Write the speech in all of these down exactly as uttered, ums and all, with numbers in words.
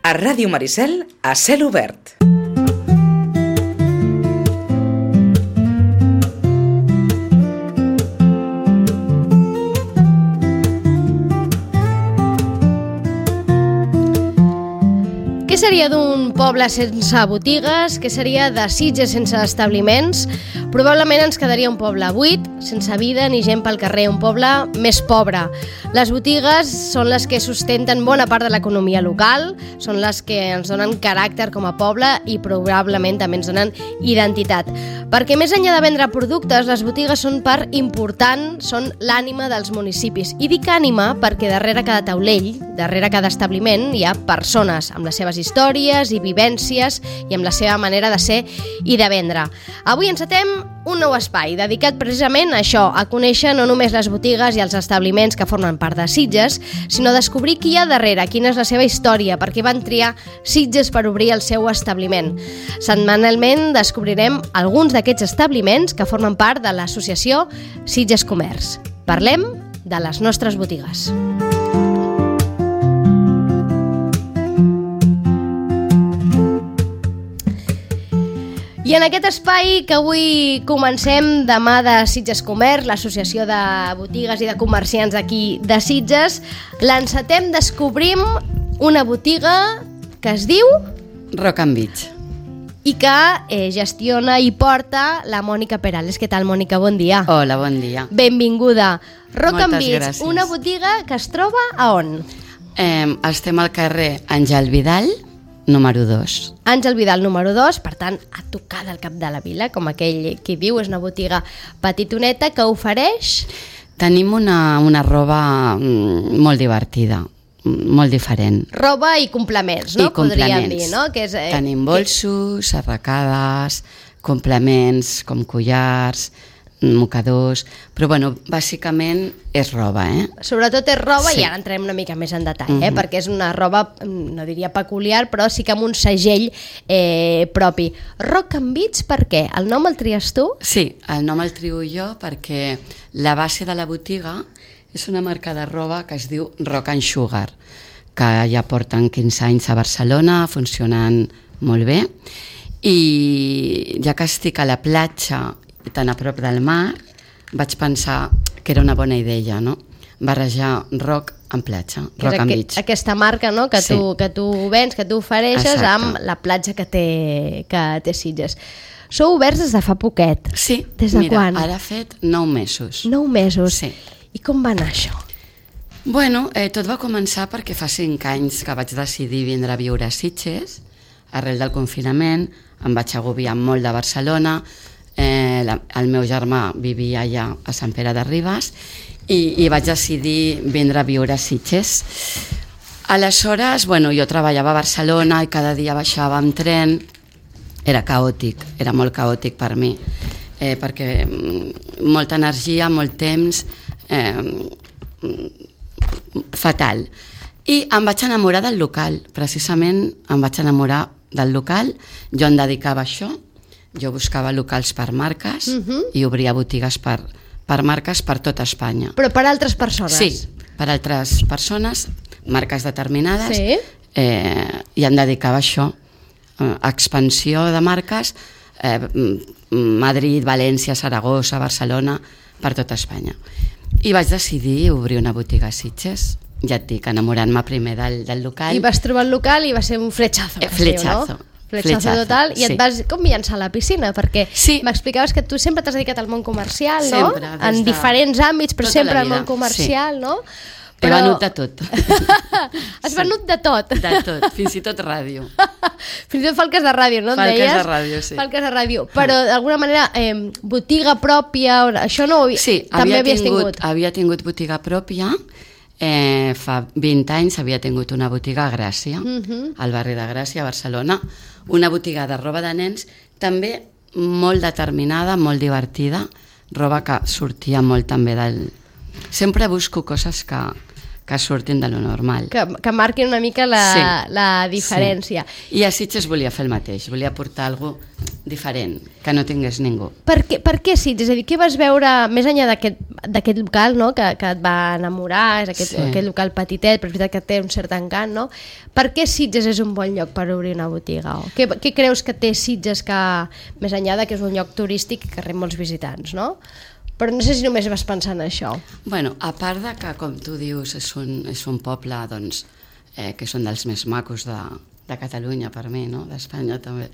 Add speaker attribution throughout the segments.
Speaker 1: A Ràdio Maricel, a cel obert.
Speaker 2: Què seria d'un poble sense botigues? Què seria de Sitges sense establiments? Probablement ens quedaria un poble buit, sense vida ni gent pel carrer, un poble més pobre. Les botigues són les que sustenten bona part de l'economia local, són les que ens donen caràcter com a poble i probablement també ens donen identitat. Perquè més enllà de vendre productes, les botigues són part important, són l'ànima dels municipis. I dic ànima perquè darrere cada taulell, darrere cada establiment, hi ha persones amb les seves històries i vivències i amb la seva manera de ser i de vendre. Avui encetem un nou espai dedicat precisament a això, a conèixer no només les botigues i els establiments que formen part de Sitges, sinó descobrir qui hi ha darrere, quina és la seva història, per què van triar Sitges per obrir el seu establiment. Setmanalment descobrirem alguns d'aquests establiments que formen part de l'associació Sitges Comerç. Parlem de les nostres botigues. I en aquest espai que avui comencem demà de Sitges Comerç, l'associació de botigues i de comerciants d'aquí de Sitges, l'encetem, descobrim una botiga que es diu
Speaker 3: Rock and Beach
Speaker 2: i que eh, gestiona i porta la Mònica Perales. Què tal, Mònica? Bon dia.
Speaker 3: Hola, bon dia.
Speaker 2: Benvinguda. Rock and
Speaker 3: Moltes
Speaker 2: Beach,
Speaker 3: gràcies.
Speaker 2: una botiga que es troba a on?
Speaker 3: Eh, estem al carrer Àngel Vidal, número dos.
Speaker 2: Àngel Vidal, número dos, per tant, a tocar del cap de la vila, com aquell qui diu, és una botiga petitoneta que ofereix...
Speaker 3: Tenim una, una roba mm, molt divertida, molt diferent.
Speaker 2: Roba i complements, no?
Speaker 3: I complements.
Speaker 2: Podríem dir, no? Que és, eh,
Speaker 3: Tenim bolsos, arracades, complements com collars, mocadors, però bueno, bàsicament és roba, eh?
Speaker 2: Sobretot és roba,
Speaker 3: Sí.
Speaker 2: i ara entrem una mica més en detall, eh?
Speaker 3: Mhm.
Speaker 2: Perquè és una roba, no diria peculiar, però sí que amb un segell eh, propi. Rock and Beach, per què? El nom el tries tu?
Speaker 3: Sí, el nom el trio jo perquè la base de la botiga és una marca de roba que es diu Rock and Sugar, que ja porten quinze anys a Barcelona, funcionant molt bé, i ja que estic a la platja tan a prop del mar, vaig pensar que era una bona idea, no? Barrejar rock amb platja,
Speaker 2: Que
Speaker 3: Rock
Speaker 2: és
Speaker 3: and
Speaker 2: aqu
Speaker 3: Beach.
Speaker 2: aquesta marca, no? Que,
Speaker 3: Sí.
Speaker 2: tu, que tu vens, que tu ofereixes
Speaker 3: Exacte.
Speaker 2: amb la platja que té, que té Sitges. Sou oberts des de fa poquet.
Speaker 3: Sí,
Speaker 2: Des de
Speaker 3: mira,
Speaker 2: quan?
Speaker 3: ara ha fet nou mesos.
Speaker 2: Nou mesos.
Speaker 3: Sí.
Speaker 2: I com va anar això?
Speaker 3: Bueno, eh, tot va començar perquè fa cinc anys que vaig decidir vindre a viure a Sitges. Arrel del confinament em vaig agobiar molt de Barcelona. Eh, la, el meu germà vivia allà a Sant Pere de Ribes i, i vaig decidir vindre a viure a Sitges. Aleshores, bueno, jo treballava a Barcelona i cada dia baixava amb tren. Era caòtic, era molt caòtic per mi, eh, perquè mm, molta energia, molt temps, eh, fatal. I em vaig enamorar del local, precisament em vaig enamorar del local, jo em dedicava a això, jo buscava locals per marques
Speaker 2: Mhm.
Speaker 3: i obria botigues per, per marques per tota Espanya.
Speaker 2: Però per altres persones?
Speaker 3: Sí, per altres persones, marques determinades,
Speaker 2: Sí.
Speaker 3: eh, i em dedicava a això, eh, expansió de marques, eh, Madrid, València, Saragossa, Barcelona, per tota Espanya. I vaig decidir obrir una botiga a Sitges, ja et dic, enamorant-me primer del, del local.
Speaker 2: I vas trobar el local i va ser un fletxazo.
Speaker 3: Eh,
Speaker 2: que es diu,
Speaker 3: fletxazo.
Speaker 2: no? Fletxazo
Speaker 3: Fletxazo,
Speaker 2: total. I
Speaker 3: sí.
Speaker 2: et vas com llançar a la piscina, perquè
Speaker 3: Sí.
Speaker 2: m'explicaves que tu sempre t'has dedicat al món comercial,
Speaker 3: Sempre,
Speaker 2: no?
Speaker 3: des
Speaker 2: En
Speaker 3: de
Speaker 2: diferents àmbits, però
Speaker 3: tota
Speaker 2: sempre
Speaker 3: la
Speaker 2: al món
Speaker 3: vida,
Speaker 2: comercial, no?
Speaker 3: He venut de tot.
Speaker 2: Has venut de tot.
Speaker 3: De tot, fins i tot ràdio.
Speaker 2: Fins i tot falques de ràdio, no? em
Speaker 3: Falques
Speaker 2: deies?
Speaker 3: de ràdio, sí.
Speaker 2: Falques de ràdio. Però d'alguna manera, eh, botiga pròpia, això no ho havia...
Speaker 3: Sí,
Speaker 2: també
Speaker 3: havia
Speaker 2: havies
Speaker 3: tingut,
Speaker 2: tingut.
Speaker 3: havia tingut botiga pròpia. Eh, fa vint anys havia tingut una botiga a Gràcia,
Speaker 2: Mhm.
Speaker 3: al barri de Gràcia, a Barcelona, una botiga de roba de nens, també molt determinada, molt divertida, roba que sortia molt també del... Sempre busco coses que, que surtin de lo normal.
Speaker 2: Que, que marquin una mica la, sí. la diferència.
Speaker 3: Sí. I a Sitges volia fer el mateix, volia portar alguna cosa diferent, que no tingués ningú.
Speaker 2: Per què, per què Sitges? És a dir, què vas veure més enllà d'aquest local, no? que, que et va enamorar, és aquest, sí. aquest local petitet, però és veritat que té un cert encant, no? Per què Sitges és un bon lloc per obrir una botiga? O què, què creus que té Sitges que, més enllà de que és un lloc turístic que rep molts visitants, no? Però no sé si només vas pensar en això.
Speaker 3: Bueno, a part de que, com tu dius, és un, és un poble doncs, eh, que són dels més macos de, de Catalunya per mi, no? D'Espanya també,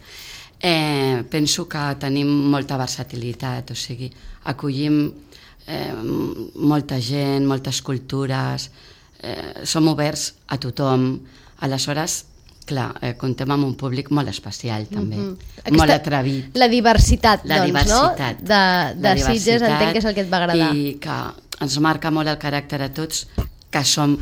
Speaker 3: eh, penso que tenim molta versatilitat, o sigui, acollim eh, molta gent, moltes cultures, eh, som oberts a tothom, aleshores clar, eh, comptem amb un públic molt especial també, mm-hmm. Aquesta, molt atrevit.
Speaker 2: La diversitat,
Speaker 3: la
Speaker 2: doncs,
Speaker 3: diversitat,
Speaker 2: no? De, de
Speaker 3: la
Speaker 2: Sitges entenc que és el que et va agradar.
Speaker 3: I que ens marca molt el caràcter a tots, que som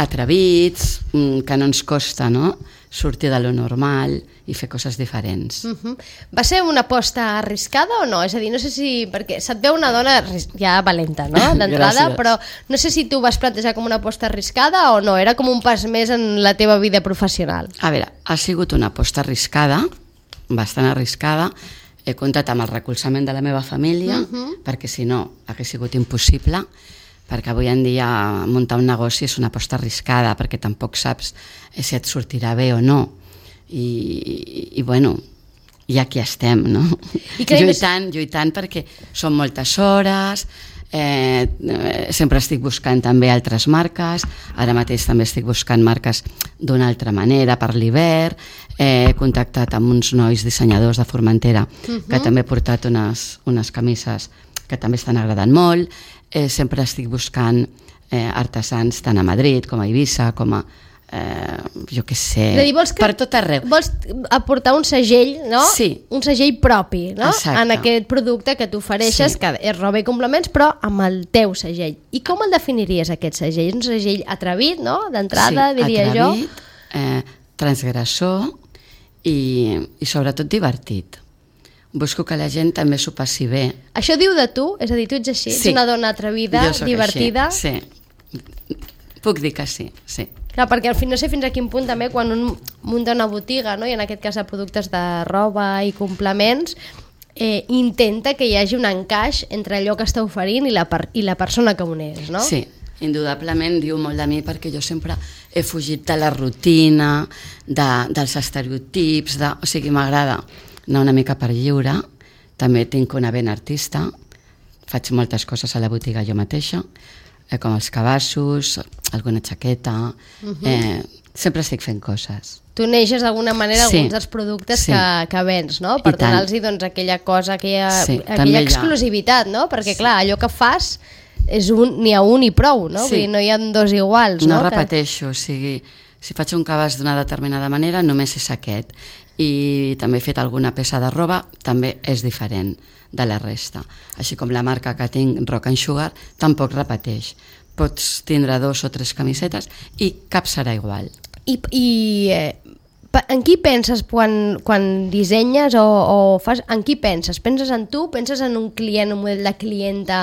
Speaker 3: atrevits, que no ens costa, no?, sortir de lo normal i fer coses diferents.
Speaker 2: Uh-huh. Va ser una aposta arriscada o no? És a dir, no sé si... perquè se't veu una dona ja valenta, no?, d'entrada, però no sé si tu vas plantejar com una aposta arriscada o no, era com un pas més en la teva vida professional.
Speaker 3: A veure, ha sigut una aposta arriscada, bastant arriscada, he comptat amb el recolzament de la meva família, uh-huh. perquè si no hagués sigut impossible, perquè avui en dia muntar un negoci és una aposta arriscada, perquè tampoc saps si et sortirà bé o no. I, i, i bueno, i aquí estem, no? I lluitant, lluitant perquè són moltes hores, eh, sempre estic buscant també altres marques, ara mateix també estic buscant marques d'una altra manera per l'hivern, eh, he contactat amb uns nois dissenyadors de Formentera, uh-huh. que també he portat unes, unes camises que també estan agradant molt, eh, sempre estic buscant eh, artesans tant a Madrid com a Eivissa, com a eh, jo què sé, dir, que, per tot arreu.
Speaker 2: Vols aportar un segell, no?
Speaker 3: Sí.
Speaker 2: Un segell propi, no?
Speaker 3: Exacte.
Speaker 2: En aquest producte que tu ofereixes, sí. que és roba i complements, però amb el teu segell. I com el definiries, aquest segell? És un segell atrevit, no? D'entrada, sí, diria
Speaker 3: atrevit,
Speaker 2: jo.
Speaker 3: Eh, transgressor i, i sobretot divertit. Busco que la gent també s'ho passi bé.
Speaker 2: Això diu de tu? És a dir, tu ets així?
Speaker 3: Sí.
Speaker 2: Ets una dona atrevida, divertida?
Speaker 3: Així. Sí. Puc dir que sí, sí.
Speaker 2: Clar, perquè al final no sé fins a quin punt també quan un munta una botiga, no? I en aquest cas de productes de roba i complements, eh, intenta que hi hagi un encaix entre allò que està oferint i la, per i la persona que on és, no?
Speaker 3: Sí, indudablement diu molt de mi perquè jo sempre he fugit de la rutina, de, dels estereotips, de, o sigui, m'agrada anar una mica per lliure, també tinc una vena artista, faig moltes coses a la botiga jo mateixa, eh, com els cabassos, alguna jaqueta, uh-huh. eh, sempre estic fent coses.
Speaker 2: Tu neixes d'alguna manera
Speaker 3: sí.
Speaker 2: alguns dels productes sí. que, que vens, no? Per
Speaker 3: I
Speaker 2: donar-los doncs, aquella cosa, aquella,
Speaker 3: sí,
Speaker 2: aquella exclusivitat, no? Perquè clar, allò que fas és un, n'hi ha un i prou, no?
Speaker 3: Sí.
Speaker 2: Vull dir, no hi ha dos iguals.
Speaker 3: No,
Speaker 2: no
Speaker 3: repeteixo, que... o sigui, si faig un cabàs d'una determinada manera només és aquest. I també he fet alguna peça de roba, també és diferent de la resta. Així com la marca que tinc, Rock and Sugar, tampoc repeteix. Pots tindre dos o tres camisetes i cap serà igual.
Speaker 2: I, i eh, en qui penses quan, quan dissenyes o, o fas? En qui penses? Penses en tu? Penses en un client, un model de clienta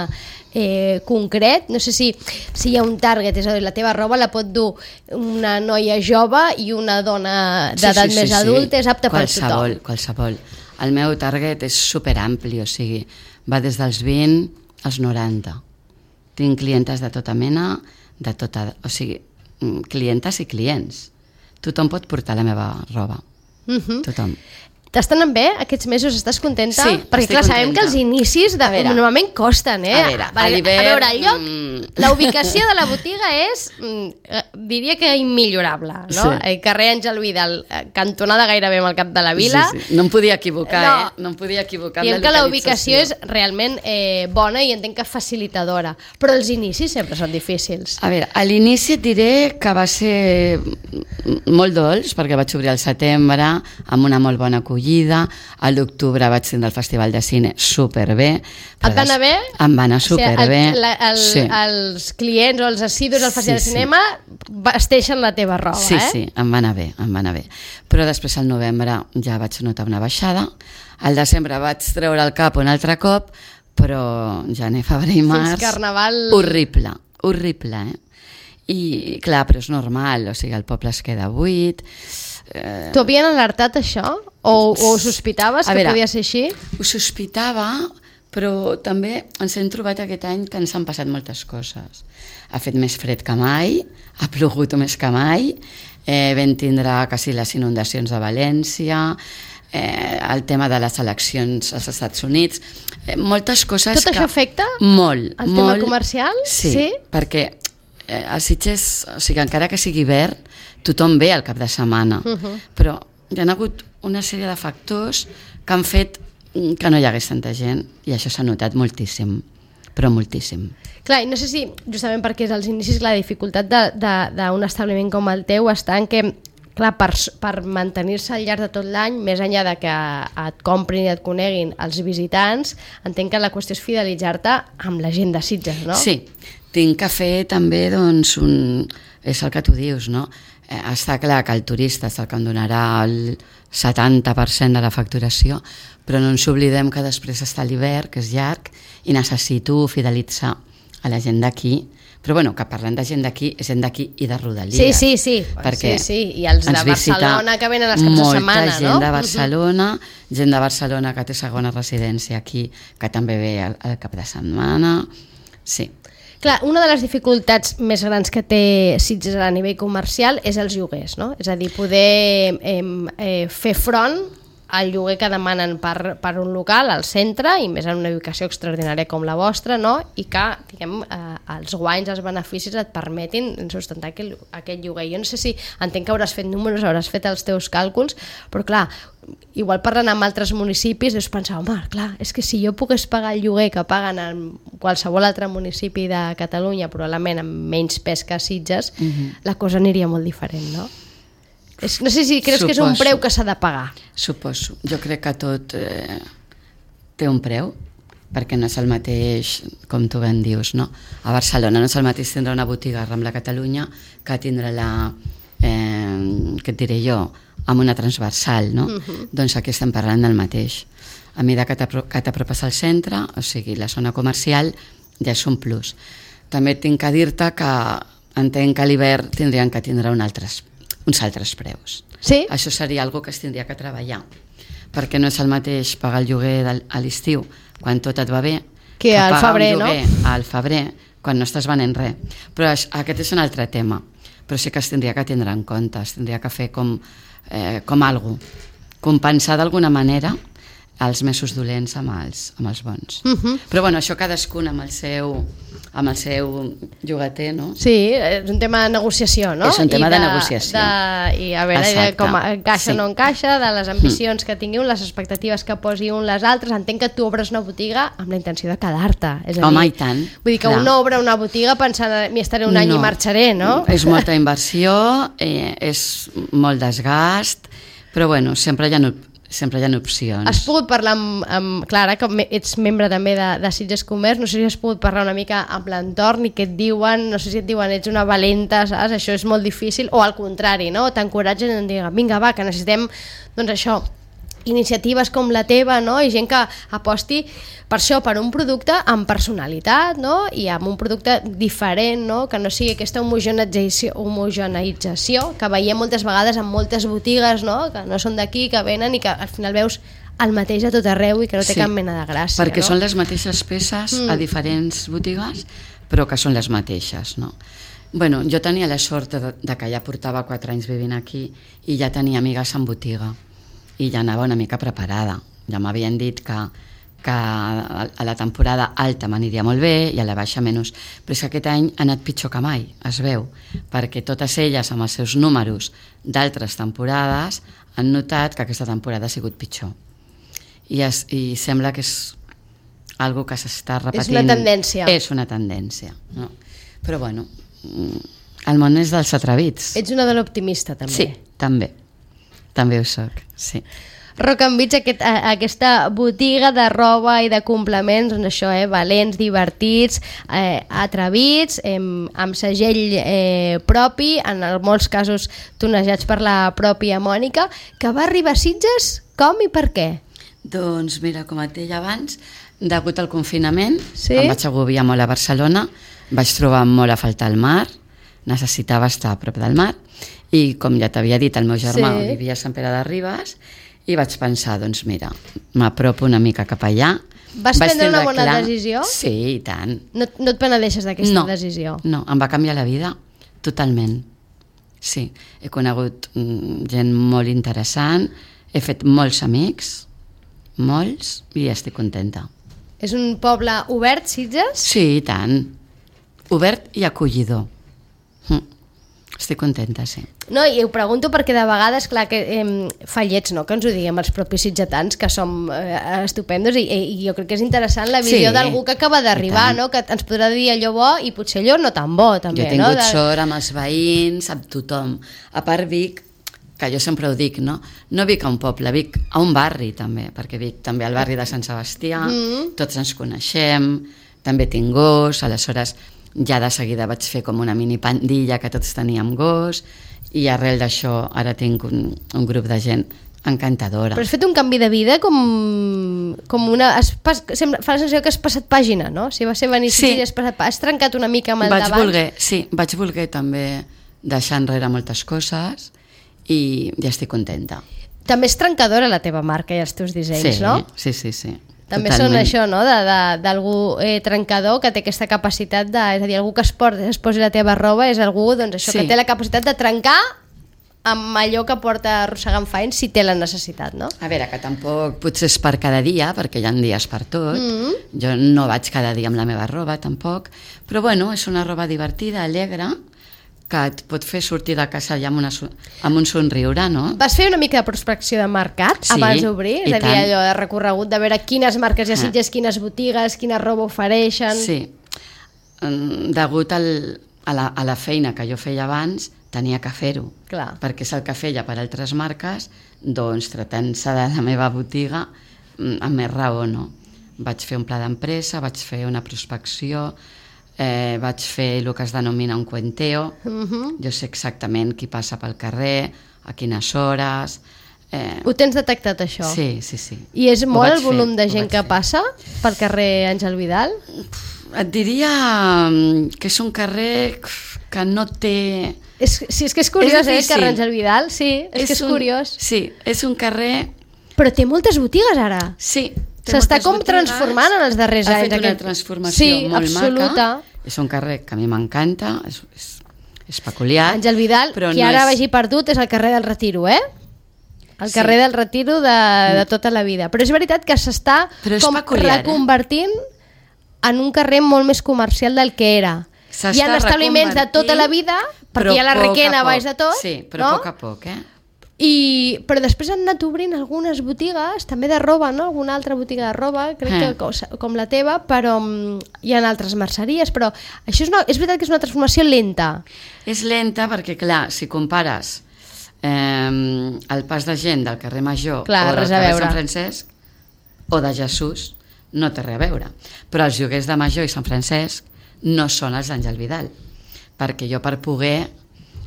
Speaker 2: eh, concret? No sé si, si hi ha un target, és a dir, la teva roba la pot dur una noia jove i una dona d'edat sí, sí, més sí, adulta, sí. És apta
Speaker 3: qualsevol,
Speaker 2: per tothom.
Speaker 3: Qualsevol. El meu target és superampli, o sigui, va des dels vint als noranta. Tinc clientes de tota mena, de tota, o sigui, clientes i clients. Tothom pot portar la meva roba. Uh-huh. Tothom.
Speaker 2: T'estan bé aquests mesos? Estàs contenta?
Speaker 3: Sí,
Speaker 2: perquè clar,
Speaker 3: contenta.
Speaker 2: Sabem que els inicis de, veure, normalment costen, eh?
Speaker 3: A veure,
Speaker 2: a,
Speaker 3: a,
Speaker 2: a veure el lloc,
Speaker 3: mm...
Speaker 2: la ubicació de la botiga és, mm, diria que immillorable, no? Sí. El carrer Àngel Vidal, cantonada gairebé amb el cap de la vila.
Speaker 3: Sí, sí. No em podia equivocar, no. eh? No em podia equivocar amb la
Speaker 2: localització. Que la ubicació és realment eh, bona i entenc que facilitadora, però els inicis sempre són difícils.
Speaker 3: A veure, a l'inici et diré que va ser molt dolç, perquè vaig obrir al setembre amb una molt bona acollida. A l'octubre vaig tindre el Festival de Cine superbé.
Speaker 2: Et va anar bé?
Speaker 3: Em va anar superbé.
Speaker 2: O sigui, el, el, sí. Els clients o els assidus del Festival sí, de Cinema sí. vesteixen la teva roba,
Speaker 3: sí,
Speaker 2: eh?
Speaker 3: Sí, sí, em va anar bé, em va anar bé. Però després al novembre ja vaig notar una baixada. Al desembre vaig treure el cap un altre cop, però gener, febrer i març...
Speaker 2: Fins Carnaval...
Speaker 3: Horrible, horrible, eh? I clar, però és normal, o sigui, el poble es queda buit.
Speaker 2: Eh... T'ho havien alertat això? O, o sospitaves que veure, podia ser així?
Speaker 3: Ho sospitava, però també ens hem trobat aquest any que ens han passat moltes coses. Ha fet més fred que mai, ha plogut més que mai, eh, vam tindre quasi les inundacions de València, eh, el tema de les eleccions als Estats Units, eh, moltes coses
Speaker 2: Tot
Speaker 3: que...
Speaker 2: això afecta
Speaker 3: molt,
Speaker 2: el
Speaker 3: molt,
Speaker 2: tema comercial?
Speaker 3: Sí,
Speaker 2: sí?
Speaker 3: perquè eh, a Sitges, o sigui, encara que sigui hivern, tothom ve al cap de setmana, uh -huh. però hi ha hagut una sèrie de factors que han fet que no hi hagués tanta gent, i això s'ha notat moltíssim, però moltíssim.
Speaker 2: Clar, i no sé si, justament perquè és als inicis, la dificultat d'un establiment com el teu està en que, clar, per, per mantenir-se al llarg de tot l'any, més enllà de que et comprin i et coneguin els visitants, entenc que la qüestió és fidelitzar-te amb la gent de Sitges, no?
Speaker 3: Sí, tinc que fer també, doncs, un... és el que tu dius, no? Eh, està clar que el turista és el que em donarà el setanta per cent de la facturació, però no ens oblidem que després està l'hivern, que és llarg, i necessito fidelitzar a la gent d'aquí. Però bueno, que parlant de gent d'aquí, és gent d'aquí i de Rodalies.
Speaker 2: Sí, sí, sí.
Speaker 3: Perquè
Speaker 2: sí, sí. I els de Barcelona que venen els caps de setmana, no?
Speaker 3: Molta gent de Barcelona, gent de Barcelona que té segona residència aquí, que també ve al, al cap de setmana. Sí.
Speaker 2: Clar, una de les dificultats més grans que té Sitges a nivell comercial és els lloguers, no? És a dir, poder eh, eh, fer front al lloguer que demanen per, per un local al centre, i més en una ubicació extraordinària com la vostra, no? I que, diguem, eh, els guanys, els beneficis et permetin sustentar aquell, aquest lloguer. Jo no sé si, entenc que hauràs fet números, hauràs fet els teus càlculs, però clar, igual parlant amb altres municipis deus pensar, home, clar, és que si jo pogués pagar el lloguer que paguen en qualsevol altre municipi de Catalunya, probablement amb menys pes que Sitges, uh-huh. la cosa aniria molt diferent, no? És, no sé si creus Suposo. que és un preu que s'ha de pagar.
Speaker 3: Suposo. Jo crec que tot eh, té un preu, perquè no és el mateix, com tu ben dius, no? A Barcelona no és el mateix tindre una botiga a Rambla Catalunya que tindre-la, eh, què et diré jo, amb una transversal, no? Uh-huh. Doncs aquí estem parlant del mateix. A mesura que t'apropes al centre, o sigui, la zona comercial, ja és un plus. També tinc que dir-te que entenc que a l'hivern tindrien que tindre un altres uns altres preus.
Speaker 2: Sí?
Speaker 3: Això seria algo que es tindria que treballar, perquè no és el mateix pagar el lloguer del, a l'estiu quan tot et va bé
Speaker 2: que, que al febrer, no?
Speaker 3: al febrer quan no estàs venent res. Però aquest és un altre tema, però sí que es tindria que tindre en compte, es tindria que fer com, eh, com algo, compensar d'alguna manera els mesos dolents amb els, amb els bons. Uh-huh. Però bueno, això cadascun amb el seu amb el seu llogater, no?
Speaker 2: Sí, és un tema de negociació, no?
Speaker 3: És un tema
Speaker 2: I
Speaker 3: de, de negociació.
Speaker 2: De, I a veure de com encaixa o sí. no encaixa, de les ambicions mm. que tingui un, les expectatives que posi un les altres. Entenc que tu obres una botiga amb la intenció de quedar-te. És a dir,
Speaker 3: home, i tant.
Speaker 2: Vull dir que clar. un obre una botiga pensant m'hi estaré un any no. i marxaré, no?
Speaker 3: És molta inversió, eh, és molt desgast, però bueno, sempre hi ha sempre hi ha opcions.
Speaker 2: Has pogut parlar amb, amb Clara, que ets membre també de, de Sitges Comerç, no sé si has pogut parlar una mica amb l'entorn i què et diuen, no sé si et diuen ets una valenta, saps? Això és molt difícil, o al contrari, no? T'encoratgen i et diuen, vinga va, que necessitem, doncs això, iniciatives com la teva, no? I gent que aposti per això, per un producte amb personalitat, no? I amb un producte diferent, no? Que no sigui aquesta homogeneïtzació, homogeneïtzació que veiem moltes vegades en moltes botigues, no? Que no són d'aquí, que venen i que al final veus el mateix a tot arreu i que no té sí, cap mena de gràcia.
Speaker 3: Perquè
Speaker 2: no?
Speaker 3: són les mateixes peces mm. a diferents botigues, però que són les mateixes, no? Bueno, jo tenia la sort de, de que ja portava quatre anys vivint aquí i ja tenia amigues en botiga i ja anava una mica preparada. Ja m'havien dit que, que a la temporada alta m'aniria molt bé i a la baixa menys. Però és que aquest any ha anat pitjor que mai, es veu, perquè totes elles amb els seus números d'altres temporades han notat que aquesta temporada ha sigut pitjor. I, es, i sembla que és algo que s'està repetint.
Speaker 2: És una tendència.
Speaker 3: És una tendència. No? Però bueno, el món és dels atrevits.
Speaker 2: Ets una dona optimista, també.
Speaker 3: Sí, també. També ho soc, sí.
Speaker 2: Rock and Beach, aquest, aquesta botiga de roba i de complements, doncs això, eh, valents, divertits, eh, atrevits, eh, amb segell eh, propi, en molts casos tonejats per la pròpia Mònica, que va arribar a Sitges com i per què?
Speaker 3: Doncs mira, com et deia abans, degut al confinament,
Speaker 2: sí?
Speaker 3: em vaig agobiar molt a Barcelona, vaig trobar molt a faltar el mar, necessitava estar a prop del mar, i com ja t'havia dit, el meu germà
Speaker 2: Sí.
Speaker 3: vivia a Sant Pere de Ribes, i vaig pensar, doncs mira, m'apropo una mica cap allà.
Speaker 2: Vas
Speaker 3: Vaig
Speaker 2: prendre una
Speaker 3: tindre
Speaker 2: bona
Speaker 3: clar-
Speaker 2: decisió?
Speaker 3: Sí, i tant.
Speaker 2: No, no et penedeixes d'aquesta
Speaker 3: No,
Speaker 2: decisió?
Speaker 3: no, em va canviar la vida totalment. Sí, he conegut mm, gent molt interessant, he fet molts amics, molts, i estic contenta.
Speaker 2: És un poble obert, Sitges?
Speaker 3: Sí, i tant. Obert i acollidor. Mm. Estic contenta, sí.
Speaker 2: No, i ho pregunto perquè de vegades, clar, que eh, fallets, no?, que ens ho diguem els propis sitgetans, que som eh, estupendos, i, i jo crec que és interessant la visió
Speaker 3: Sí,
Speaker 2: d'algú que acaba d'arribar,
Speaker 3: i tant.
Speaker 2: no?, que ens podrà dir allò bo i potser allò no tan bo, també,
Speaker 3: Jo he tingut
Speaker 2: no? De...
Speaker 3: sort amb els veïns, amb tothom. A part Vic, que jo sempre ho dic, no? No Vic a un poble, Vic a un barri també, perquè Vic també al barri de Sant Sebastià,
Speaker 2: Mm.
Speaker 3: tots ens coneixem, també tinc gos, aleshores ja de seguida vaig fer com una mini pandilla que tots teníem gos, i arrel d'això ara tinc un, un grup de gent encantadora.
Speaker 2: Però has fet un canvi de vida com, com una... Has pas, sembla, fa la sensació que has passat pàgina, no? Si va ser venir
Speaker 3: Sí.
Speaker 2: sí. has, passat, has trencat una mica amb el
Speaker 3: vaig
Speaker 2: d'abans.
Speaker 3: voler, sí, vaig voler també deixar enrere moltes coses i ja estic contenta.
Speaker 2: També és trencadora la teva marca i els teus dissenys,
Speaker 3: Sí,
Speaker 2: no?
Speaker 3: sí, sí, sí.
Speaker 2: També
Speaker 3: Totalment.
Speaker 2: són això, no?, de- de- d'algú eh, trencador que té aquesta capacitat de... És a dir, algú que es, port, es posi la teva roba és algú, doncs, això,
Speaker 3: Sí.
Speaker 2: que té la capacitat de trencar amb allò que porta arrossegant fa anys si té la necessitat, no?
Speaker 3: A veure, que tampoc potser és per cada dia, perquè hi ha dies per tot.
Speaker 2: Mm.
Speaker 3: Jo no vaig cada dia amb la meva roba, tampoc. Però bueno, és una roba divertida, alegre, que et pot fer sortir de casa ja amb, una, so- amb un somriure, no?
Speaker 2: Vas fer una mica de prospecció de mercat
Speaker 3: Sí,
Speaker 2: abans d'obrir? És
Speaker 3: i
Speaker 2: a dir,
Speaker 3: tant.
Speaker 2: allò de recorregut, de veure quines marques hi ha
Speaker 3: Ah.
Speaker 2: Sitges, quines botigues, quina roba ofereixen...
Speaker 3: Sí. Mm, Degut al, a, la, a la feina que jo feia abans, tenia que fer-ho.
Speaker 2: Clar.
Speaker 3: Perquè és el que feia per altres marques, doncs tratant-se de la meva botiga, mm, amb més raó, no? Vaig fer un pla d'empresa, vaig fer una prospecció, eh, vaig fer el que es denomina un cuenteo.
Speaker 2: Mhm.
Speaker 3: Jo sé exactament qui passa pel carrer, a quines hores... Eh,
Speaker 2: Ho tens detectat, això?
Speaker 3: sí, sí, sí.
Speaker 2: I és
Speaker 3: Ho
Speaker 2: molt
Speaker 3: vaig
Speaker 2: el volum
Speaker 3: fer,
Speaker 2: de
Speaker 3: ho
Speaker 2: gent
Speaker 3: vaig
Speaker 2: que
Speaker 3: fer.
Speaker 2: passa pel carrer Àngel Vidal?
Speaker 3: Et diria mm, que és un carrer que no té...
Speaker 2: És, sí, és que és curiós, eh, el
Speaker 3: difícil.
Speaker 2: carrer Àngel Vidal, sí, és, que és
Speaker 3: un,
Speaker 2: curiós.
Speaker 3: Sí, és un carrer...
Speaker 2: Però té moltes botigues ara.
Speaker 3: Sí. té
Speaker 2: S'està
Speaker 3: moltes
Speaker 2: com
Speaker 3: botigues,
Speaker 2: transformant en els darrers
Speaker 3: ha
Speaker 2: anys.
Speaker 3: fet una
Speaker 2: aquest-
Speaker 3: transformació
Speaker 2: sí,
Speaker 3: molt
Speaker 2: absoluta.
Speaker 3: maca. És un carrer que a mi m'encanta, és, és, és peculiar.
Speaker 2: Àngel Vidal,
Speaker 3: però
Speaker 2: qui
Speaker 3: no
Speaker 2: ara
Speaker 3: és...
Speaker 2: vagi perdut és el carrer del Retiro, eh? El
Speaker 3: Sí.
Speaker 2: carrer del Retiro de, de tota la vida. Però és veritat que s'està
Speaker 3: Però és
Speaker 2: com
Speaker 3: peculiar, eh?
Speaker 2: reconvertint en un carrer molt més comercial del que era.
Speaker 3: S'està
Speaker 2: Hi ha establiments de tota la vida, perquè
Speaker 3: però
Speaker 2: hi ha la
Speaker 3: poc a
Speaker 2: requena
Speaker 3: poc.
Speaker 2: baix de tot,
Speaker 3: Sí, però
Speaker 2: no?
Speaker 3: a poc a poc, eh?
Speaker 2: I, però després han anat obrint algunes botigues, també de roba, no? Alguna altra botiga de roba, crec
Speaker 3: Eh.
Speaker 2: que com, com la teva, però mm, hi ha altres merceries, però això és, una, és veritat que és una transformació lenta.
Speaker 3: És lenta perquè, clar, si compares eh, el pas de gent del carrer Major
Speaker 2: Clar,
Speaker 3: o del
Speaker 2: res a
Speaker 3: carrer
Speaker 2: veure.
Speaker 3: Sant Francesc o de Jesús, no té res a veure. Però els lloguers de Major i Sant Francesc no són els d'Àngel Vidal, perquè jo per poder,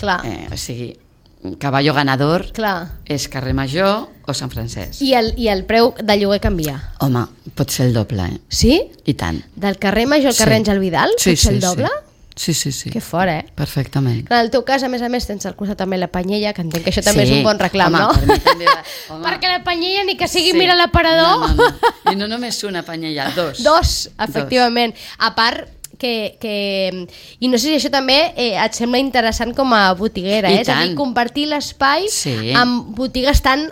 Speaker 2: Clar,
Speaker 3: eh, o sigui, caballo ganador
Speaker 2: clar.
Speaker 3: és carrer Major o Sant Francesc.
Speaker 2: I el, I el preu de lloguer canvia.
Speaker 3: Home, pot ser el doble, eh?
Speaker 2: Sí?
Speaker 3: I tant.
Speaker 2: Del carrer Major al carrer
Speaker 3: Sí.
Speaker 2: Àngel Vidal?
Speaker 3: Sí,
Speaker 2: pot ser
Speaker 3: sí,
Speaker 2: el doble?
Speaker 3: Sí, sí, sí.
Speaker 2: Que fort, eh?
Speaker 3: Perfectament.
Speaker 2: Clar, en el teu cas, a més a més, tens al costat també la Panyella, que entenc que això també
Speaker 3: Sí.
Speaker 2: és un bon reclam,
Speaker 3: Home,
Speaker 2: no?
Speaker 3: per mi també va- home.
Speaker 2: Perquè la Panyella, ni que sigui
Speaker 3: Sí.
Speaker 2: mira l'aparador...
Speaker 3: No, no, no. I no només una panyella, dos.
Speaker 2: Dos, efectivament. A part que, que... I no sé si això també eh, et sembla interessant com a botiguera,
Speaker 3: I
Speaker 2: eh? És a dir,
Speaker 3: tant.
Speaker 2: compartir l'espai
Speaker 3: Sí.
Speaker 2: amb botigues tan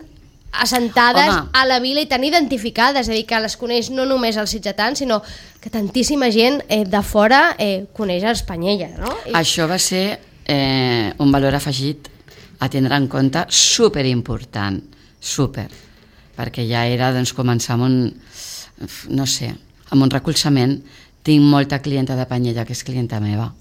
Speaker 2: assentades
Speaker 3: Home.
Speaker 2: a la vila i tan identificades, és a dir, que les coneix no només els sitgetans, sinó que tantíssima gent eh, de fora eh, coneix els Panyella, no? I,
Speaker 3: Això va ser eh, un valor afegit a tindre en compte superimportant, super, perquè ja era doncs, començar amb un, no sé, amb un recolzament. Tinc molta clienta de Panyella que és clienta meva,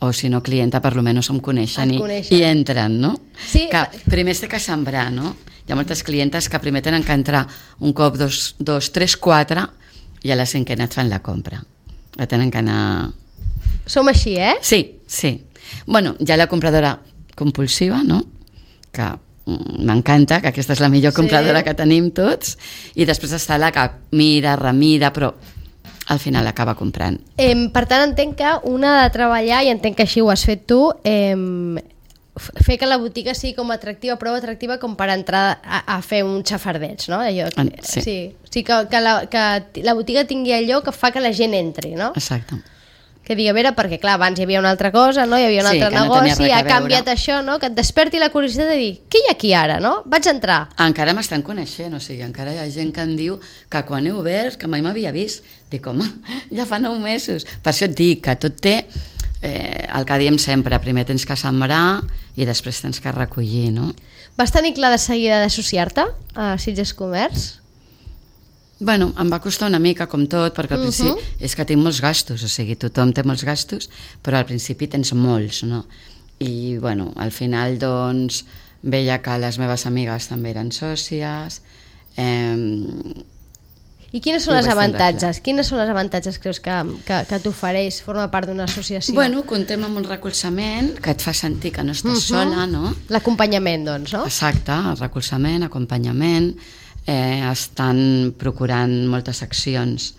Speaker 3: o si no clienta, per lo menos em coneixen,
Speaker 2: Et
Speaker 3: i,
Speaker 2: coneixen.
Speaker 3: i entren, no?
Speaker 2: Sí.
Speaker 3: Que primer es té que sembrar, no? Hi ha moltes clientes que primer tenen que entrar un cop, dos, dos tres, quatre, i a la cinquena et fan la compra. Ja tenen que anar...
Speaker 2: som així, eh?
Speaker 3: Sí, sí. Bueno, hi ha la compradora compulsiva, no? Que mm, m'encanta, que aquesta és la millor
Speaker 2: Sí.
Speaker 3: compradora que tenim tots, i després està la que mira, remira, però al final acaba comprant.
Speaker 2: Eh, per tant, entenc que una ha de treballar, i entenc que així ho has fet tu, eh, fer que la botiga sigui com atractiva, prou atractiva com per entrar a, a fer un xafardeig, no? Allò,
Speaker 3: sí.
Speaker 2: Sí, sí que, que, la, que la botiga tingui allò que fa que la gent entri, no?
Speaker 3: Exacte.
Speaker 2: Que digui, a veure, perquè clar, abans hi havia una altra cosa, no? Hi havia un
Speaker 3: Sí,
Speaker 2: altre
Speaker 3: que no
Speaker 2: negoci,
Speaker 3: tenia res a
Speaker 2: ha canviat
Speaker 3: veure.
Speaker 2: això, no? Que et desperti la curiositat de dir, què hi ha aquí ara, no? Vaig entrar.
Speaker 3: Encara m'estan coneixent, o sigui, encara hi ha gent que em diu que quan he obert, que mai m'havia vist. Dic, home, ja fa nou mesos. Per això et dic que tot té eh, el que diem sempre, primer tens que sembrar i després tens que recollir, no?
Speaker 2: Vas tenir clar de seguida d'associar-te a Sitges Comerç?
Speaker 3: Bueno, em va costar una mica, com tot, perquè al principi uh -huh. és que tinc molts gastos, o sigui, tothom té molts gastos, però al principi tens molts, no? I, bueno, al final, doncs, veia que les meves amigues també eren sòcies. Eh,
Speaker 2: I quines són
Speaker 3: I ho
Speaker 2: els
Speaker 3: vaig tindre
Speaker 2: avantatges? Quines són els avantatges creus que, que, que t'ofereix formar part d'una associació?
Speaker 3: bueno, contem amb un recolzament que et fa sentir que no estàs
Speaker 2: Mhm.
Speaker 3: sola, no?
Speaker 2: L'acompanyament, doncs, no?
Speaker 3: Exacte, el recolzament, acompanyament, eh, estan procurant moltes accions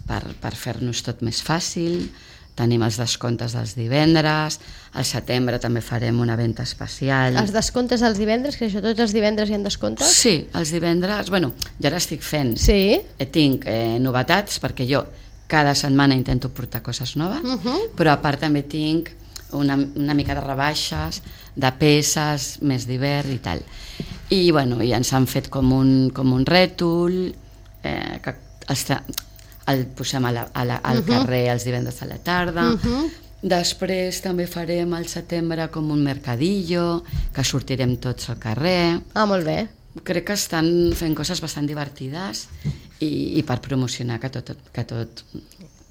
Speaker 3: per, per fer-nos tot més fàcil, tenim els descomptes dels divendres, al setembre també farem una venda especial.
Speaker 2: Els descomptes dels divendres, que això tots els divendres hi ha descomptes?
Speaker 3: Sí, els divendres, bueno, ja l'estic fent.
Speaker 2: Sí.
Speaker 3: Eh, tinc eh, novetats, perquè jo cada setmana intento portar coses noves,
Speaker 2: Uh -huh.
Speaker 3: però a part també tinc una, una mica de rebaixes, de peces, més d'hivern i tal. I, bueno, i ens han fet com un, com un rètol, eh, que els tra- el posem a la, a la, al
Speaker 2: Uh-huh.
Speaker 3: carrer els divendres a la tarda.
Speaker 2: Uh-huh.
Speaker 3: Després també farem al setembre com un mercadillo, que sortirem tots al carrer.
Speaker 2: Ah, molt bé.
Speaker 3: Crec que estan fent coses bastant divertides i, i per promocionar que tot, que tot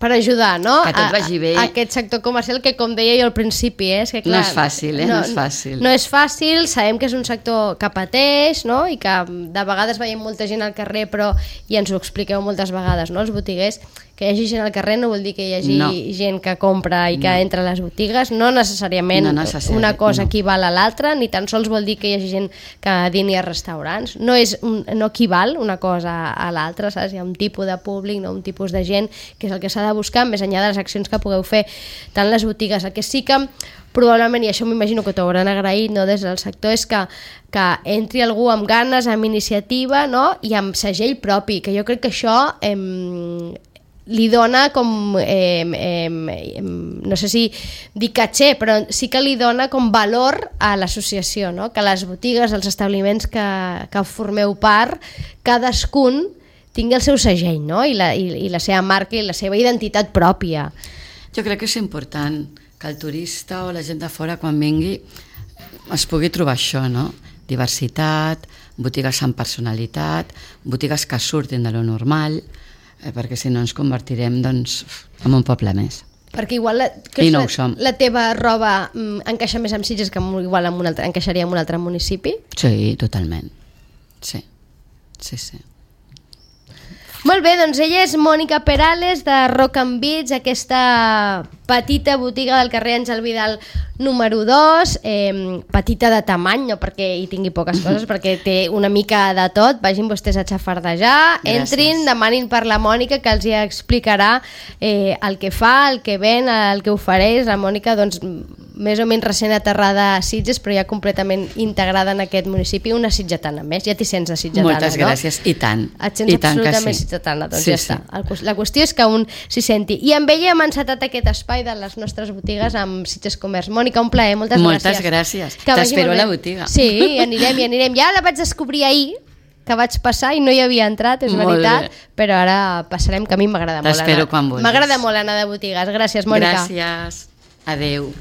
Speaker 2: Per ajudar, no?
Speaker 3: Que tot vagi bé.
Speaker 2: A, a aquest sector comercial que, com deia jo al principi, eh, és que clar...
Speaker 3: No és fàcil, eh? No és fàcil.
Speaker 2: No és fàcil, sabem que és un sector que pateix, no? I que de vegades veiem molta gent al carrer, però, i ens ho expliqueu moltes vegades, no?, els botiguers, que hi hagi gent al carrer no vol dir que hi hagi
Speaker 3: No.
Speaker 2: gent que compra i que
Speaker 3: No.
Speaker 2: entra a les botigues, no necessàriament
Speaker 3: No necessari-
Speaker 2: una cosa
Speaker 3: no.
Speaker 2: equival a l'altra, ni tan sols vol dir que hi hagi gent que dini a restaurants, no, és un, no equival una cosa a l'altra, saps? Hi ha un tipus de públic, no? Un tipus de gent, que és el que s'ha de buscar, més enllà de les accions que pugueu fer tant les botigues. El que sí que probablement, i això m'imagino que t'ho hauran agraït, no, des del sector, és que, que entri algú amb ganes, amb iniciativa, no?, i amb segell propi, que jo crec que això em, li dona com, eh, eh, eh, no sé si dir caché, però sí que li dona com valor a l'associació, no?, que les botigues, els establiments que, que formeu part, cadascun tingui el seu segell, no?, I la, i, i la seva marca i la seva identitat pròpia.
Speaker 3: Jo crec que és important que el turista o la gent de fora quan vingui es pugui trobar això, no? Diversitat, botigues amb personalitat, botigues que surtin de lo normal, eh, perquè si no ens convertirem, doncs, en un poble més.
Speaker 2: Perquè igual la, que
Speaker 3: I no
Speaker 2: la,
Speaker 3: ho som.
Speaker 2: la teva roba mm, encaixa més amb Sitges que amb, igual amb un altre, encaixaria en un altre municipi?
Speaker 3: Sí, totalment. Sí, sí, sí.
Speaker 2: Molt bé, doncs ella és Mònica Perales de Rock and Beats, aquesta petita botiga del carrer Àngel Vidal número dos, eh, petita de tamany, no perquè hi tingui poques coses, perquè té una mica de tot. Vagin vostès a xafardejar, entrin, demanin per la Mònica, que els hi explicarà eh, el que fa, el que ven, el que ofereix. La Mònica, doncs, més o menys recent aterrada a Sitges, però ja completament integrada en aquest municipi, una sitgetana més. Ja t'hi sents de sitgetana,
Speaker 3: Moltes
Speaker 2: no?
Speaker 3: gràcies, i tant.
Speaker 2: Et sents
Speaker 3: I tant que
Speaker 2: absolutament
Speaker 3: sí.
Speaker 2: sitgetana, doncs
Speaker 3: Sí,
Speaker 2: ja
Speaker 3: sí.
Speaker 2: està. El- La qüestió és que un s'hi senti. I amb ella hem encetat aquest espai de les nostres botigues amb Sitges Comerç. Mònica, un plaer, moltes,
Speaker 3: Moltes
Speaker 2: gràcies.
Speaker 3: gràcies.
Speaker 2: Que vagi
Speaker 3: T'espero
Speaker 2: molt
Speaker 3: a la
Speaker 2: bé.
Speaker 3: botiga.
Speaker 2: Sí, anirem, i anirem. Ja la vaig descobrir ahir, que vaig passar i no hi havia entrat, és
Speaker 3: Molt
Speaker 2: veritat,
Speaker 3: bé.
Speaker 2: però ara passarem, que a mi m'agrada molt anar.
Speaker 3: T'espero quan vulguis.
Speaker 2: M'agrada molt anar de botigues. Gràcies, Mònica.
Speaker 3: Gràcies. Adéu.